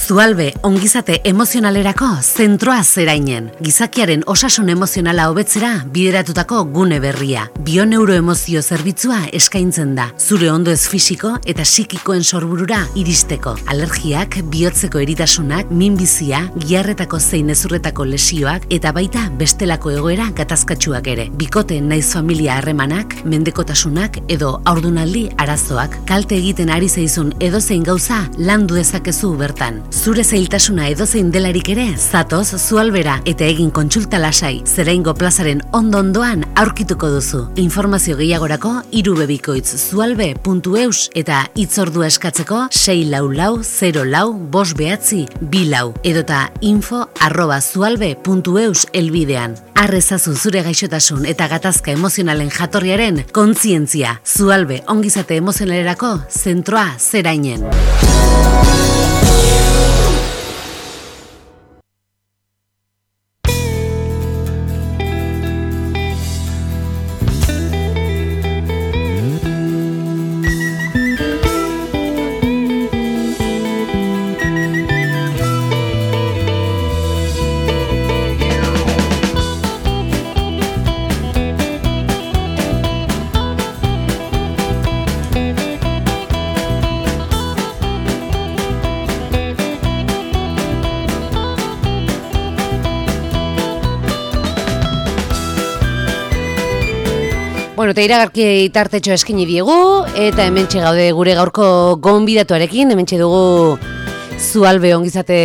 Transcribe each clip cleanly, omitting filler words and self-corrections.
Zualbe ongizate emozionalerako zentroa zerainen. Gizakiaren osasun emozionala hobetzera bideratutako gune berria. Bioneuroemozio zerbitzua eskaintzen da. Zure ondoez fisiko eta psikikoen sorburura iristeko. Alergiak, bihotzeko eritasunak, minbizia, giharretako zein hezurretako lesioak eta baita bestelako egoera gatazkatsuak ere. Bikote naiz familia harremanak, mendekotasunak edo haurdunaldi arazoak. Kalte egiten ari zaizun edozein gauza landu dezakezu bertan. Zure zailtasuna edozein delarik ere, zatoz Zualbera eta egin kontsulta lasai. Zeraingo plazaren ondo-ondoan aurkituko duzu. Informazio gehiagorako irubebikoitz.zualbe.eus eta hitzordua eskatzeko 644-04-594 edota info@zualbe.eus elbidean. Arrezazu zure gaixotasun eta gatazka emozionalen jatorriaren kontzientzia. Zualbe ongizate emozionalerako zentroa zerainen. Bueno, eta iragarki tartetxo eskini diegu, eta hementxe gaude gure gaurko gonbidatuarekin, hementxe dugu Zualbe ongizate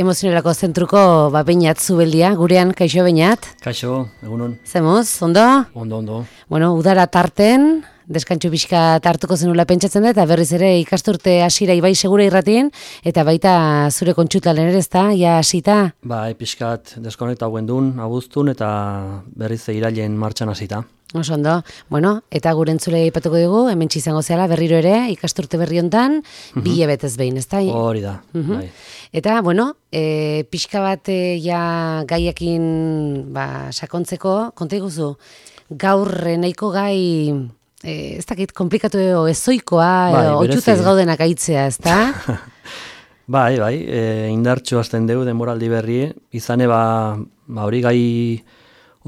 emozionerako zentruko Beñat Zubeldia, gurean, kaixo Beñat? Kaixo, egunon. Zemuz, ondo? Ondo. Bueno, udara tarten, deskantxu pixka hartuko zenula pentsatzen da, eta berriz ere ikasturte hasiera ibai segura irratien, eta baita zure kontsultalen ere ezta, ja hasita? Pixkat deskonekta hauen duen, abuztun, eta berriz irailen martxan hasita. Oso ondo, bueno, eta gure entzulei aipatuko dugu, hementsi izango zehala berriro ere, ikasturte berri hontan, bi hilabetez behin, ezta? Hori da, bai. Eta, bueno, pixka bat ja gaiakin sakontzeko, konta iguzu, gaur nahiko gai, ez dakit, komplikatu ezoikoa, oitxuta ez gaudenak aitzea, ezta? Bai, indartxo hasten dugu denboraldi berri, izane hori gai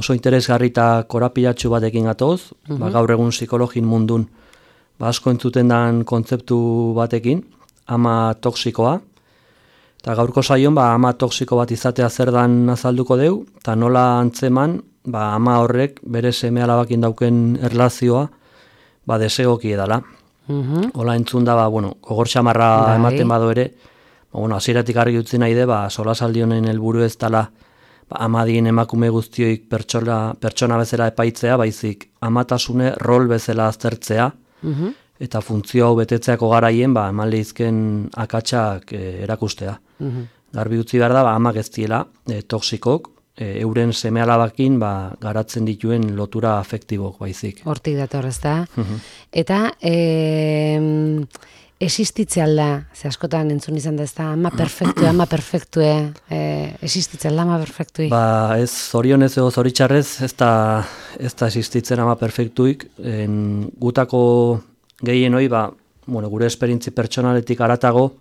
oso interesgarri eta korapilatxu batekin gatoz, gaur egun psikologin mundun asko entzuten den kontzeptu batekin, ama toksikoa, eta gaurko saion ama toksiko bat izatea zer dan azalduko deu, eta nola antzeman ama horrek bere seme-alabakin dauken erlazioa desegoki edala. Hola entzun da, gogor xamarra ematen bado ere, hasieratik argi utzi nahi de, solasaldi honen helburu ez dala amadien emakume guztioik pertsona bezala epaitzea, baizik amatasune rol bezala aztertzea, eta funtzio hau betetzeako garaien eman lehizken akatsak erakustea. Garbi utzi behar da, amak ez diela toksikok, euren seme-alabakin garatzen dituen lotura afektibok baizik. Hortik dator, ez da? Eta existitze alda, ze askotan entzun izan da, ez da, ama perfektue, existitze alda ama perfektui? Ez, zorionez edo zoritxarrez, ez da existitzen ama perfektuik, gutako gehien hoi, gure esperintzi pertsonaletik aratago,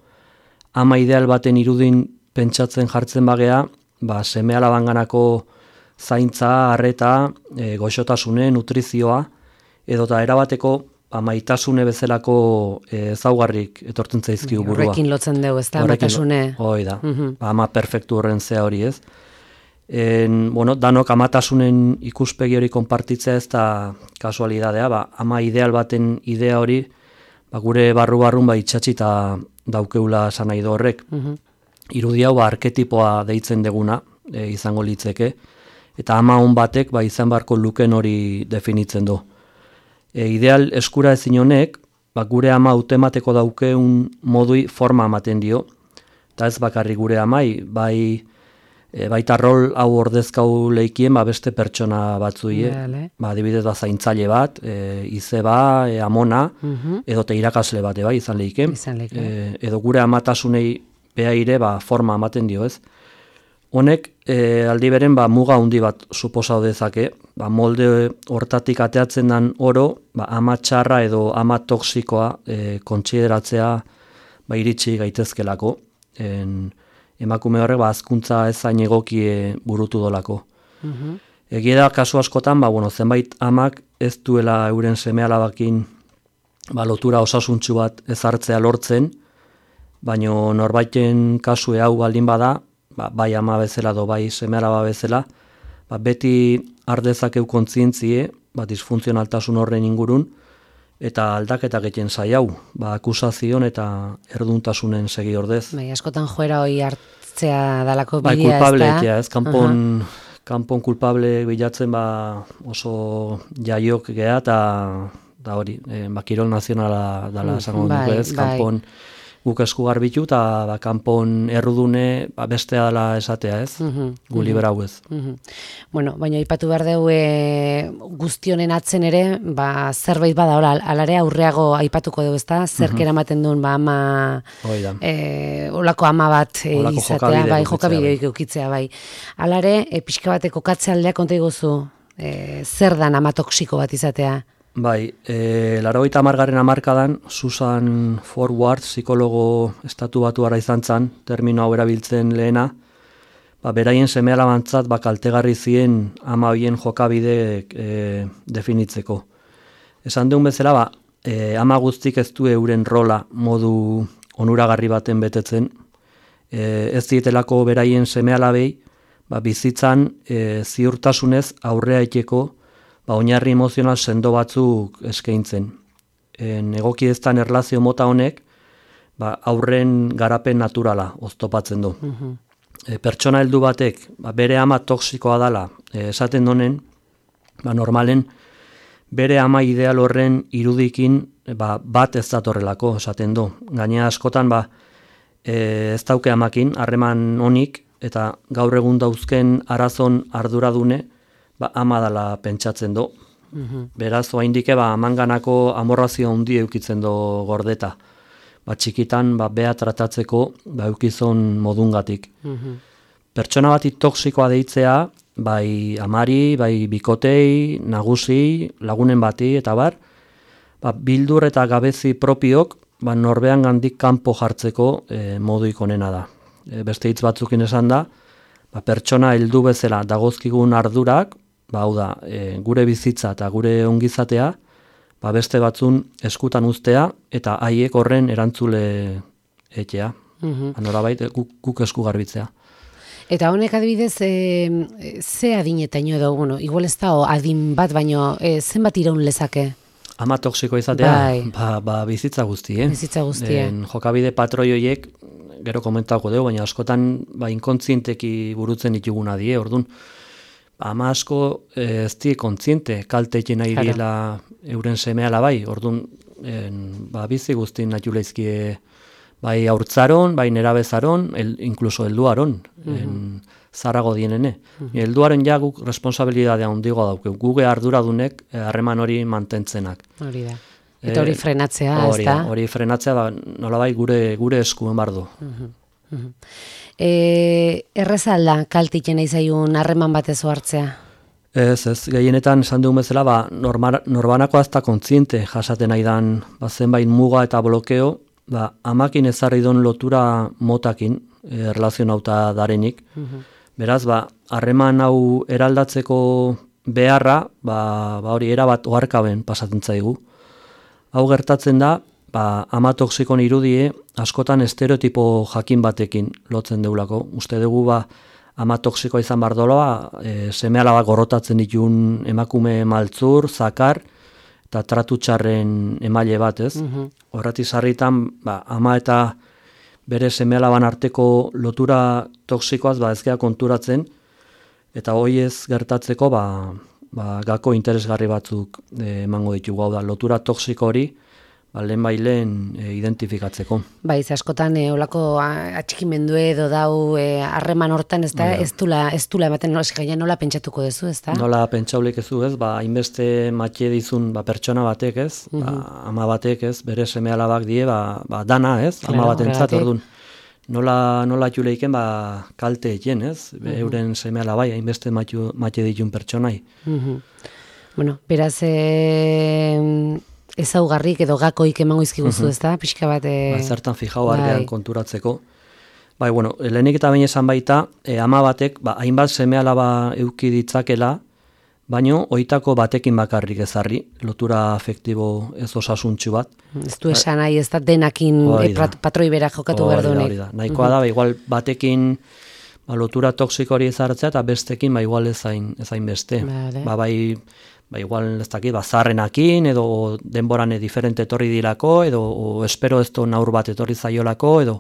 ama ideal baten irudin pentsatzen jartzen bagea, seme-alabanganako zaintza, arreta, goxotasune, nutrizioa, edota erabateko maitasune bezalako ezaugarrik etortzen zaizkigu burua. Horrekin lotzen dugu, ez da, maitasune. Hoi da, ama perfektu horren zea hori ez. Danok amatasunen ikuspegi hori konpartitzea ez da kasualidadea, ama ideal baten idea hori, gure barru-barrun itxatxita daukeula esan nahi du horrek. Irudi hau arketipoa deitzen deguna izango litzeke, eta ama hon batek izan beharko luken hori definitzen du. Ideal eskura ezin honek, gure ama hautemateko daukeun modui forma ematen dio, eta ez bakarrik gure amai, baita rol hau ordezkau leikien beste pertsona batzui, adibidez zaintzaile bat, izeba, amona, edo irakasle bat izan leiken, edo gure amatasunei behaire forma ematen dio ez. Honek aldi beren muga handi bat suposau dezake, molde hortatik ateatzen den oro, ama txarra edo ama toksikoa kontsideratzea iritsi gaitezkelako. emakume horrek hazkuntza ezain egokie burutu dolako. Egia da, kasu askotan, zenbait amak ez duela euren seme-alabakin lotura osasuntsu bat ezartzea lortzen, baino norbaiten kasue hau baldin bada, bai ama bezala do bai seme-alaba bezala, beti ardezakeu kontzientzie, disfuntzionaltasun horren ingurun, eta aldaketak egiten zaiau, akusazion eta erduntasunen segi ordez. Bai, askotan joera hori hartzea dalako bidea, kulpable, ez kanpon kulpable bilatzen oso jaiok geha, eta hori, kirol nazionala dala esango dugu ez, kanpon guk esku garbitu, eta kanpon errudune bestea dela esatea ez, gu liberau ez. Bueno, baina aipatu behar dugu guztionen atzen ere, zerbait bada, alare aurreago aipatuko dugu ezta, zerk eramaten duen ama, olako ama bat izatea, jokabideoik eukitzea, bai. Alare, pixka bateko katzealdea konta iguzu, zer dan ama toksiko bat izatea? Bai, 80. hamarkadan Susan Forward, psikologo estatu batuara izan zen, termino hau erabiltzen lehena, beraien seme-alabantzat kaltegarri zien ama hoien jokabide definitzeko. Esan deun bezala, ama guztik ez du euren rola modu onuragarri baten betetzen, ez dietelako beraien seme-alabei, bizitzan ziurtasunez aurrea eteko oinarri emozional sendo batzuk eskaintzen. Egokideztan erlazio mota honek, aurren garapen naturala oztopatzen du. Pertsona heldu batek, bere ama toksikoa dala, esaten donen, normalen, bere ama ideal horren irudikin bat ez datorrelako, esaten du. Gainera askotan, ez dauke amakin, harreman honik, eta gaur egun dauzken arazon arduradune, ama dala pentsatzen du. Beraz, oaindike, amanganako amorrazio handi eukitzen du gordeta. Txikitan, beha tratatzeko, eukizon modungatik. Pertsona bati toksikoa deitzea, bai amari, bai bikotei, nagusi, lagunen bati, eta bar, bildur eta gabezi propiok, norbean gandik kanpo jartzeko moduik onena da. Beste hitz batzukin esan da, pertsona heldu bezala dagozkigun ardurak, hau da, gure bizitza eta gure ongizatea, beste batzun eskutan uztea, eta haiek horren erantzule etea. Norabait, guk esku garbitzea. Eta honek adibidez, ze adinetaino edo, igual ez da adin bat, baino zenbat iraun lezake? Ama toksiko izatea, bizitza guzti, Bizitza guzti, jokabide patroioiek, gero komentako dugu, baina askotan inkontzienteki burutzen dituguna die, orduan, ama asko ez die kontziente kalte nahi diela euren seme-ala bai, orduan bizi guztin natxuleizkie bai haurtzaron, bai nerabezaron, inkluso helduaron, zarago dienene. Helduaren ja guk responsabilidadea handigo dauke, guge arduradunek harreman hori mantentzenak. Hori da. Eta hori frenatzea, ez da? Hori frenatzea, nolabai gure eskuen bardu. Erreza alda kaltiken izaiun harreman batez hartzea? Ez, gehienetan esan dugun bezala, norbanako azta kontziente jasaten aidan zenbait muga eta blokeo, amakin ezarri don lotura motakin, erlazionauta darenik. Beraz, harreman hau eraldatzeko beharra, hori erabat oharkaben pasatzen zaigu. Hau gertatzen da, ama toksikon irudie askotan estereotipo jakin batekin lotzen deulako. Uste dugu ama toksikoa izan bardola, seme-alabak gorrotatzen ditun emakume maltzur, zakar, eta tratu txarren emaile bat, ez? Horretik sarritan, ama eta bere seme-alaban arteko lotura toksikoaz ez gea konturatzen, eta hoi ez gertatzeko gako interesgarri batzuk emango ditugu. Hau da, lotura toksiko hori, lehen identifikatzeko. Bai, askotan olako atxikimendu edo dau harreman hortan, ez da, ez dula ematen, nola pentsatuko dezu, ez da? Nola pentsaulik ezu, ez, hainbeste matxe dizun pertsona batek, ez, ama batek, ez, bere seme-alabak die, dana, ez, ama batentzat, orduan. Nola txuleiken, kalte eken, ez, euren seme-alabai, hainbeste matxe ditun pertsonai. Bueno, beraz, ezaugarrik edo gakoik emango izkiguzu, ez da? Pixka bat... Zertan fijau artean konturatzeko. Bai, bueno, lehenik eta bain esan baita, ama batek, hainbat seme-alaba eduki ditzakela, baino, oitako batekin bakarrik ezarri, lotura afektibo ez osasuntxu bat. Ez du esan nahi, ez da denakin patroi bera jokatu behar duenik. Nahikoa da, igual batekin lotura toksiko hori ezartzea, eta bestekin igual ezain beste. Vale. Igual ez dakit, zarrenakin, edo denboran diferente etorri dirako, edo espero ez naur bat etorri zaiolako, edo...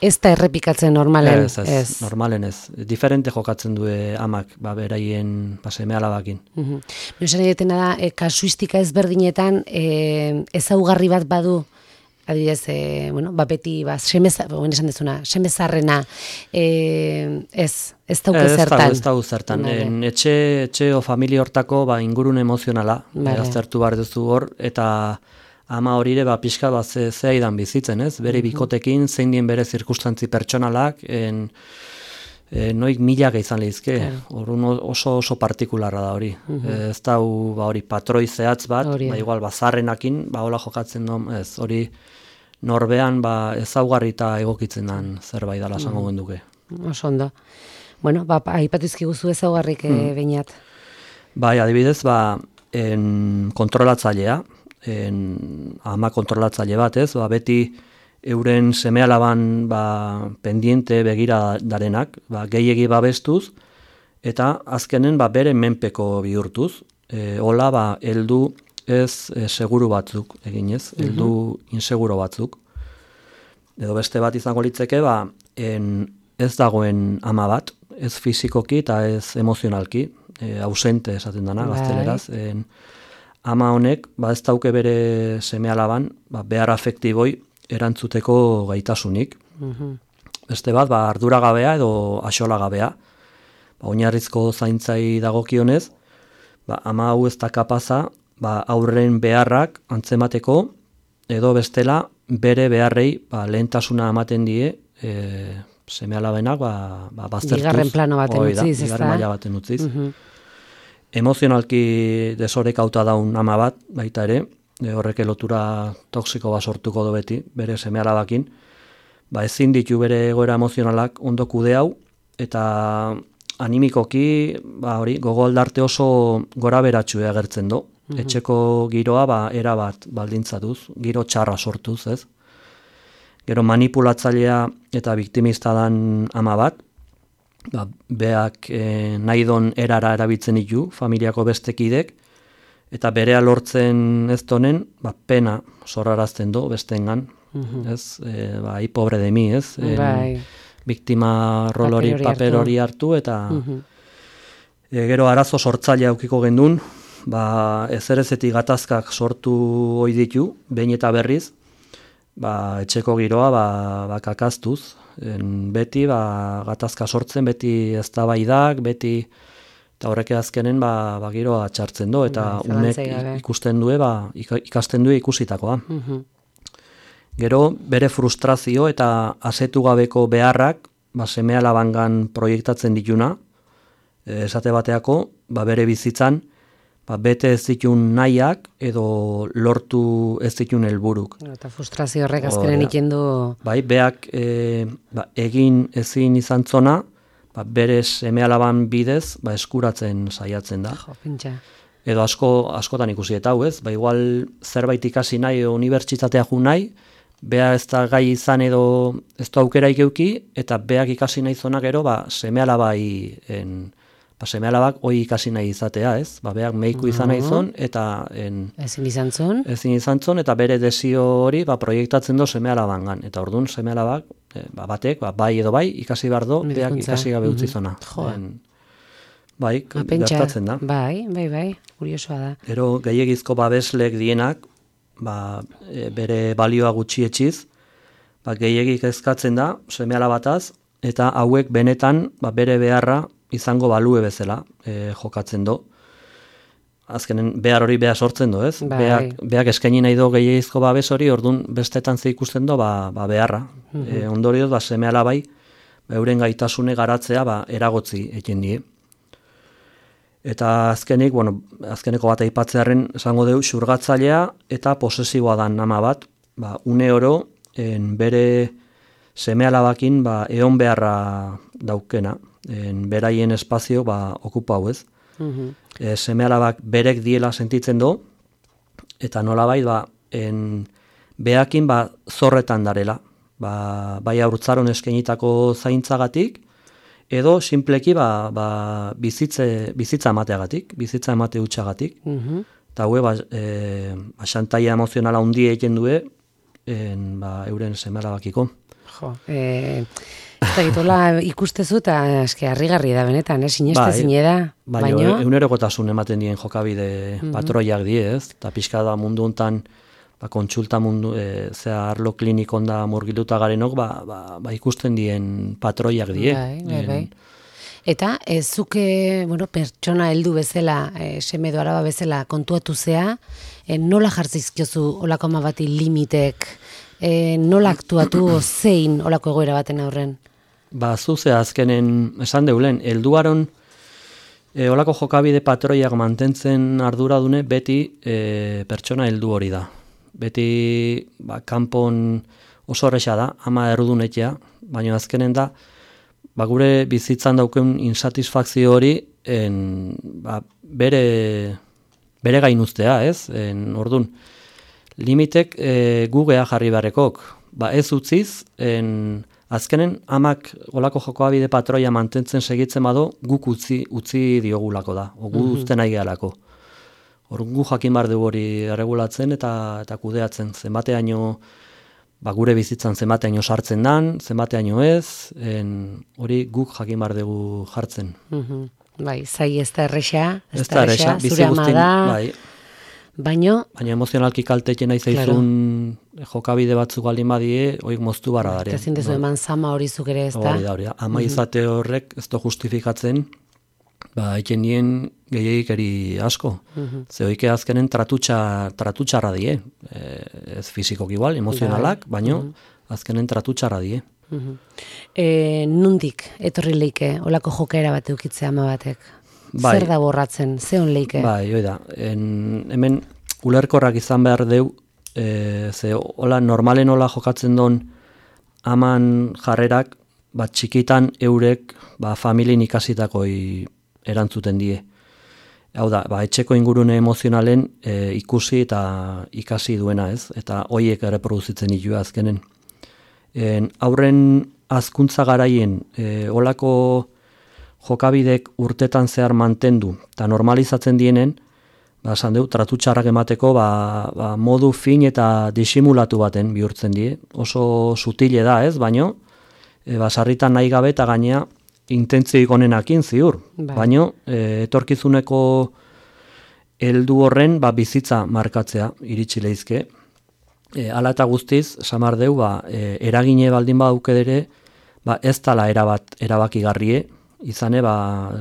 Ez da errepikatzen normalen. Ez, normalen ez. Diferente jokatzen du amak, beraien seme-alabakin. Esan egiten da, kasuistika ezberdinetan, ezaugarri bat badu, adibidez, beti, esan dezuna, semezarrena, ez dauke zertan. Ez dauke zertan. Etxe o familia hortako ingurun emozionala, aztertu behar duzu hor, eta ama horire pixka zehaidan bizitzen, ez? Bere bikotekin, zein dien bere zirkustantzi pertsonalak, noik milaka izan lehizke, oso partikularra da hori. Ez da hori patroi zehatz bat, igual zarrenakin, hola jokatzen duen, ez hori norbean ezaugarri eta egokitzen den zerbait dela esango genduke. Oso ondo. Bueno, aipatu izkiguzu ezaugarrik behinat. Bai, adibidez, kontrolatzailea, ama kontrolatzaile bat, ez? Beti euren seme-alaban pendiente begira darenak, gehiegi babestuz, eta azkenen bere menpeko bihurtuz. Hola, heldu ez seguru batzuk eginez, heldu inseguro batzuk. Edo beste bat izango litzeke, ez dagoen ama bat, ez fizikoki eta ez emozionalki, ausente esaten dana, gazteleraz. Ama honek, ez dauke bere seme-alaban, behar afektiboi erantzuteko gaitasunik. Beste bat, arduragabea edo axolagabea. Oinarrizko zaintzai dagokionez, ama hau ez da kapaza, aurren beharrak antzemateko, edo bestela bere beharrei lehentasuna ematen die seme-alabenak baztertuz. Bigarren plano baten utziz, ez da? Bigarren maila baten utziz. Emozionalki desorekauta daun ama bat, baita ere, horrek lotura toksiko bat sortuko do beti, bere seme-alabakin, ezin ditu bere egoera emozionalak ondo kude hau, eta animikoki, gogo aldarte oso gora beratxu agertzen do. Etxeko giroa erabat baldintzatuz, giro txarra sortuz, ez? Gero manipulatzailea eta biktimista dan ama bat, beak nahi don erara erabiltzen ditu, familiako bestekidek, eta berea lortzen ez donen, pena zorrarazten do bestengan, ez? Ai, pobre de mi, ez? Biktima rol hori, paper hori hartu, eta gero arazo sortzailea aukiko gendun, ezerezetik gatazkak sortu ohi ditu, behin eta berriz, etxeko giroa kakaztuz, beti gatazka sortzen, beti eztabaidak, beti eta horrek azkenen giroa txartzen du, eta unek ikusten du, ikasten du ikusitakoa. Gero, bere frustrazio eta asetu gabeko beharrak, seme-alabangan proiektatzen dituna, esate bateako, bere bizitzan, bete ez ditun nahiak edo lortu ez ditun helburuk. Eta frustrazio horrek azkenen ikendu... Beak egin ezin izan zona, bere seme-alaban bidez eskuratzen saiatzen da. Edo askotan ikusi eta hau ez, igual zerbait ikasi nahi edo unibertsitatea ju nahi, bea ez da gai izan edo ez da aukera ikeuki, eta beak ikasi nahi zona gero seme-alabai seme-alabak hoi ikasi nahi izatea, ez? Beak meiku izan nahi zon, eta... Ezin izan zon? Ezin izan zon, eta bere desio hori proiektatzen do seme-alabangan. Eta orduan seme-alabak, batek, bai edo bai, ikasi behar do, beak ikasi gabe utzi zona. Gertatzen da. Bai, kuriosoa da. Ero gehiagizko babeslek dienak, bere balioa gutxietxiz, gehiagik ezkatzen da, seme-alabataz, eta hauek benetan bere beharra izango balue bezala jokatzen do. Azkenen behar hori behar sortzen do, ez? Beak eskaini nahi do gehiagizko babes hori, orduan bestetan ze ikusten do beharra. Ondorioz, seme-alabai, euren gaitasune garatzea eragotzi eken die. Eta azkeneko bat aipatzearen esango deu, xurgatzailea eta posesiboa dan ama bat, une oro bere seme-alabakin egon beharra daukena, beraien espazio okupau ez. Seme-alabak berek diela sentitzen do, eta nolabait behakin zorretan darela, bai haurtzaron eskainitako zaintzagatik, edo simpleki bizitza emateagatik, bizitza emate utxagatik. Eta xantaia emozionala hundi egiten due, euren seme-alabakiko. Eta gitola ikustezu eta eske harrigarri da benetan, sineste zine da. Baina egunerokotasun ematen dien jokabide patroiak die, ez? Eta pixka da mundu hontan kontsulta mundu, arlo klinikon da murgiluta garenok, ikusten dien patroiak die. Bai. Eta zuke, pertsona heldu bezala, seme edo alaba bezala kontuatu zea, nola jartzizkiozu olako ama bati limitek, nola aktuatu zein olako egoera baten aurren? Zuze azkenen esan deulen, helduaron olako jokabide patroiak mantentzen arduradune beti pertsona heldu hori da. Beti kanpon oso horreza da, ama errudunetia, baina azkenen da, gure bizitzan dauken insatisfakzio hori bere gainuztea, ez? Orduan, limitek gugea jarri beharrekok. Ez utziz, azkenen amak olako jokoabide patroia mantentzen segitzen bado, guk utzi diogulako da, gu uzten nahi gehalako. Gu jakin bar dugu hori erregulatzen eta kudeatzen, zenbateaino gure bizitzan zenbateaino sartzen dan, zenbateaino ez, hori guk jakin bar dugu jartzen. Zai ez da erresa, zure ama da, baina emozionalki kaltetzen nahi zaizun jokabide batzuk aldin badie, hoik moztu barra dare. Eta zindezu eman zama hori zuk ere ez da? Hori da, ama izate horrek ez da justifikatzen, eken dien gehiagikeri asko. Ze hoike azkenen tratutxarra die. Ez fizikok igual, emozionalak, baino azkenen tratutxarra die. Nundik etorri leike olako jokaera bat eukitzea ama batek? Zer da borratzen, ze hon leike? Hoi da. Hemen ulerkorrak izan behar deu, ze normalen hola jokatzen don aman jarrerak, txikitan eurek familien ikasitakoi erantzuten die. Hau da, etxeko ingurune emozionalen ikusi eta ikasi duena, ez? Eta hoiek erreproduzitzen ditu azkenen. Aurren hazkuntza garaien olako jokabidek urtetan zehar mantendu eta normalizatzen dienen, esan dugu, tratutxarrak emateko modu fin eta disimulatu baten bihurtzen die. Oso sutile da, ez? Baino, sarritan nahi gabe eta gainea intentzioik onenakin ziur, baina etorkizuneko heldu horren bizitza markatzea iritsi leizke. Hala eta guztiz, samar deu, eragine baldin badauke ere, ez tala erabakigarrie, izane,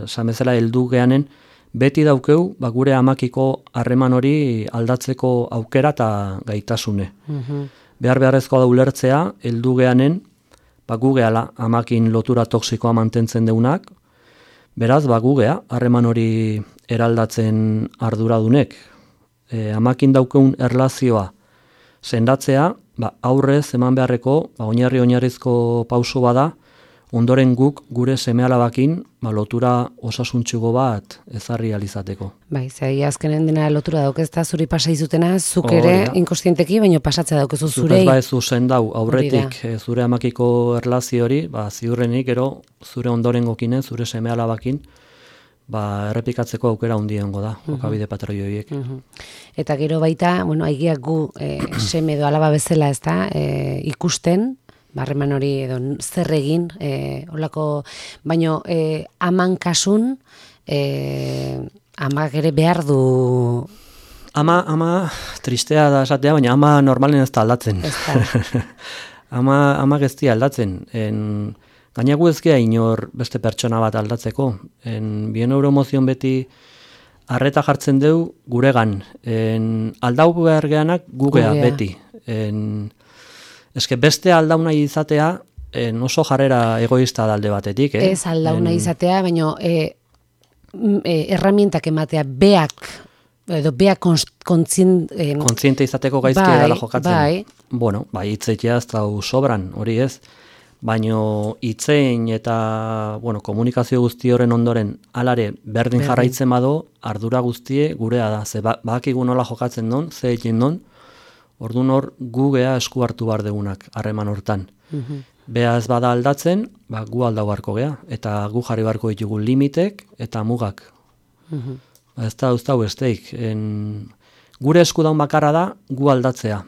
samezela heldu geanen, beti daukeu, gure amakiko harreman hori aldatzeko aukera eta gaitasune. Beharrezkoa da ulertzea, heldu geanen, gugea amakin lotura toksikoa mantentzen deunak, beraz, gugea, harreman hori eraldatzen arduradunek. Amakin daukeun erlazioa sendatzea, aurrez eman beharreko, oinarrizko pauso bada, ondoren guk gure seme-alabakin lotura osasuntxugo bat ezarri alizateko. Zai, azkenen dena lotura daukezta zuri pasa izutena, zuk ere inkostienteki, baina pasatzea daukezu zurei. Zuk ez zendau, aurretik zure amakiko erlazio hori, ziurrenik, zure ondoren gokinen, zure seme-alabakin, errepikatzeko aukera hundiongo da, jokabide patroi horiek. Eta gero baita, aigiak gu seme edo alaba bezala ez da, ikusten, harreman hori edo zer egin, olako, baino aman kasun, amak ere behar du... Ama tristea da esatea, baina ama normalen ez da aldatzen. Amak ez da aldatzen. Gainagu ezkea inor beste pertsona bat aldatzeko. Bien neuroemozion beti arreta jartzen deu guregan. Aldau behar geanak gugea beti. Eske beste aldauna izatea oso jarrera egoista dalde batetik. Ez aldauna izatea, baina herramientak ematea beak kontziente izateko gaizki edala jokatzen. Bueno, hitzetea ez da sobran, hori ez. baino hitzein eta komunikazio guzti horren ondoren alare berdin jarraitzen bado, ardura guztie gurea da, ze badakigu nola jokatzen don, ze egin don, orduan hor gu gea esku hartu behar degunak harreman hortan. Bea ez bada aldatzen, gu aldau beharko gea, eta gu jarri beharko ditugu limitek eta mugak. Ez da uztau esteik. Gure esku daun bakarra da, gu aldatzea.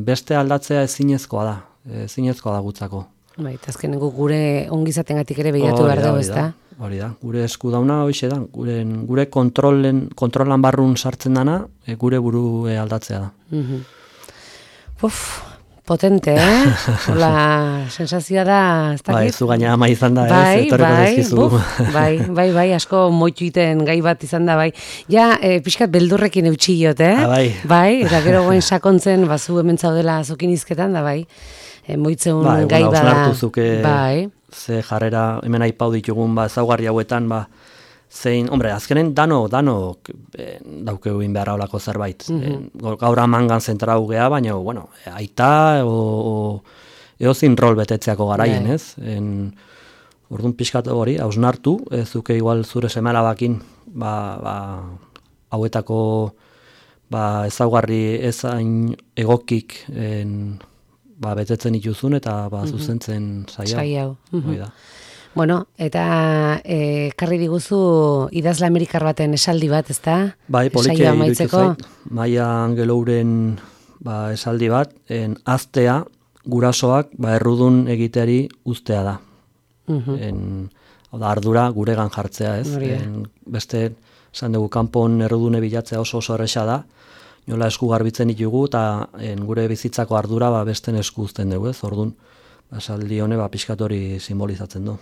Beste aldatzea ezinezkoa da gutzako. Bai, azkeneko gure ongizatengatik ere behiratu behar dugu, ezta? Hori da, gure esku dauna hoxe da, gure kontrolan barrun sartzen dana, gure buru aldatzea da. Potente, Hola, sensazioa da, ez dakit? Bai, zu gaina ama izan da, etorreko dezkizu. Bai, asko moituiten gai bat izan da, bai. Ja, pixkat beldurrekin eutxillot, Bai, eta gero goen sakontzen, zu hemen zaudela azokin izketan, da, bai. Moitzeun gai bada. Osnartu zuke, ze jarrera, hemen aipau ditugun, ezaugarri hauetan, zein, azkenen dano daukegu inbeharra olako zerbait. Gaur amangan zentrau gea, baina, aita eozin rol betetzeako garaien, ez? Orduan pixkat hori, hausnartu, zuke igual zure semalabakin, hauetako ezaugarri ezain egokik betetzen ituzun eta zuzentzen saiau. Bueno, eta karri diguzu idazle amerikar baten esaldi bat, ezta? Bai, politia iruditu zait. Maia Angelouren esaldi bat, aztea gurasoak errudun egiteari uztea da. Ardura guregan jartzea, ez? Beste, esan dugu, kanpon errudune bilatzea oso erresa da, nola esku garbitzen ditugu eta gure bizitzako ardura besten esku uzten dugu, ez? Orduan, esaldi hone pixkatori simbolizatzen du.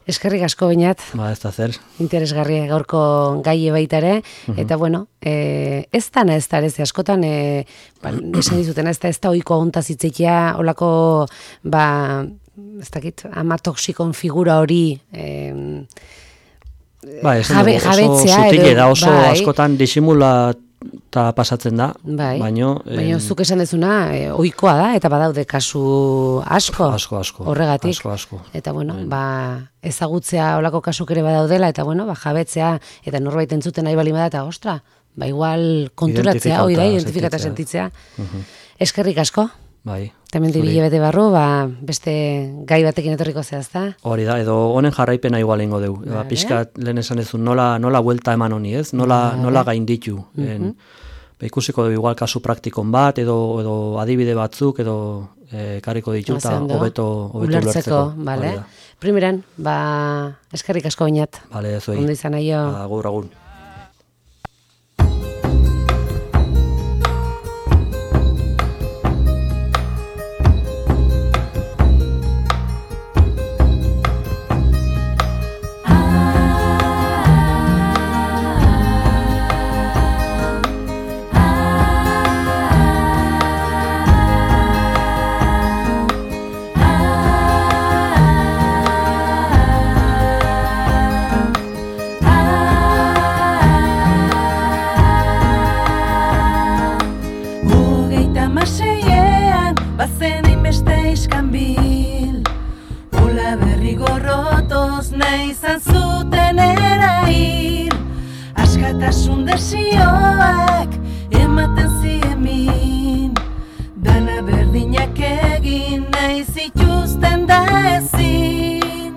Eskerrik asko Beñat. Ez da zer. Interesgarria gaurko gaie baita ere. Eta ez da ere, askotan, esan dizuten, ez da oiko aguntazitzekia, olako, ez dakit, ama toksikon figura hori jabetzea. Oso askotan disimula eta pasatzen da, baina zuk esan dezuna, ohikoa da, eta badaude kasu asko. Horregatik. Eta ezagutzea olako kasuk ere badaudela, eta jabetzea, eta norbait entzuten nahi balima da, eta ostra, igual konturatzea, identifikata sentitzea. Eskerrik asko. Bai. Temendi bilebete barru, beste gai batekin etorriko zehazta. Hori da, edo honen jarraipena igual ingo deu. Piskat lehen esan ezun, nola buelta eman honi, ez? Nola gainditu. Ikusiko dugu igual kasu praktikon bat, edo adibide batzuk, edo kariko ditu, eta hobeto ulertzeko. Primeran, eskerrik asko Beñat. Bale, zuei. Ondo izan aio. Agur. Askatasun desioak ematen ziemin, dana berdinak egin nahi zituzten da ezin.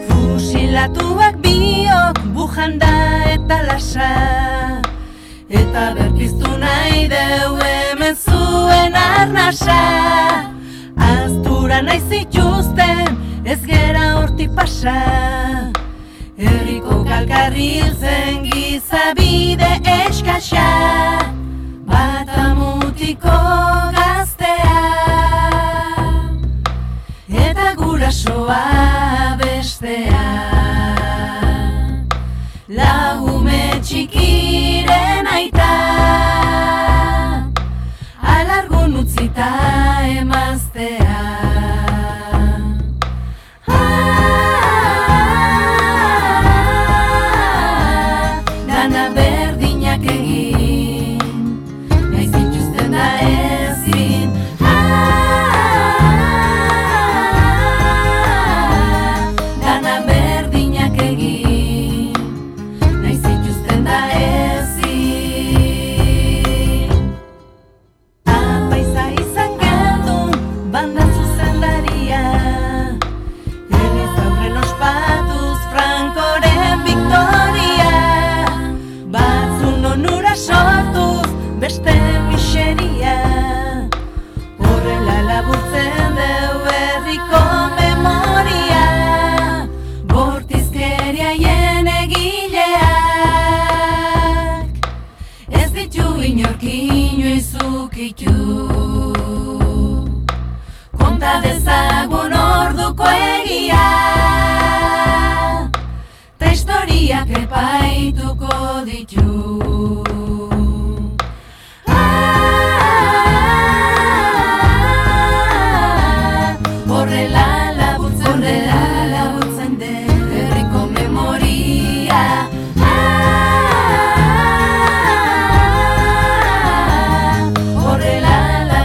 Fusilatuak biok bujanda eta lasa, eta berpiztu nahi deu hemen zuen arnasa. Aztura nahi zituzten, ez gera hortik pasa. Herriko kalkarril zen gizabide eskasa, bata mutiko gaztea, eta gurasoa bestea. Lagume txikiren aita, alargun utzita emaztea. biak epai